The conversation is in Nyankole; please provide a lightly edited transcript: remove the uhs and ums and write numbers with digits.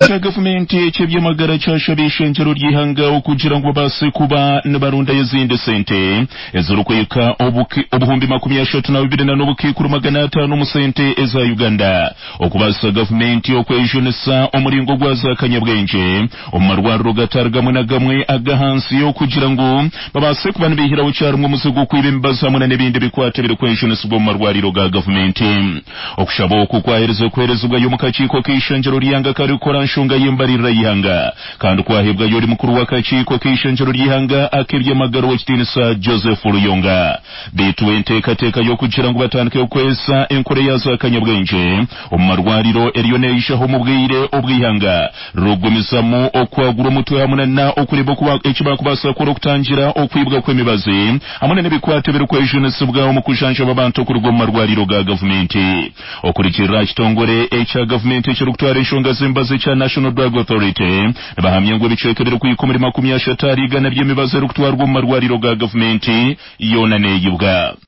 Ekitongore kya gavumenti eky'eby'amagara kyashaba eishengyero ry'eihanga okugira ngu babaase kuba nibarundayo ezindi sente ezirikuhika obuhumbi 32 na n'obukaikuru 500 omu sente eza Uganda okubaasisa gavumenti okwejunisa omuringo gwa za kanyabwengye omu marwariro gatari gamwe na gamwe ag'ahansi okugira ngu babaase kuba nibaihiraho kyarimwe omuze gw'okwiba emibazi hamwe na n'ebindi bikwato ebirikwejunisibwa omu marwariro ga gavumenti. Okushaba oku kwaherize kuheerezibwayo omu kakiiko k'eishengyero ry'eihanga karikukora nshonga y'embaririra y'eihanga kandi kwahebwayo ori mukuru w'akakiiko k'eishengyero ry'eihanga ak'eby'amagara ow'ekitiinisa Joseph Ruyonga. Beitu enteekateeka y'okugira ngu batandike kukozesa enkora eya za kanyabwengye omu marwariro eriyo neijaho omu bwire obw'eihanga ririkugumizamu okwagura omutwe hamwe na okureeba oku eki baakubaasa kukora okutangira okwibwa kw'emibazi hamwe na n'ebikwato ebirikwejunisibwa omu kujanjaba abantu okuruga omu marwariro ga gavumenti. Okurugiirira aha kitongore ekya gavumenti ekirikutwara enshonga z'emibazi ekya National Drug Authority, nibahamya ngu ebicweka ebirikuhika omuri 30 ahari igana by'emibazi erikutwarwa omu marwariro ga gavumenti yoona neyibwa.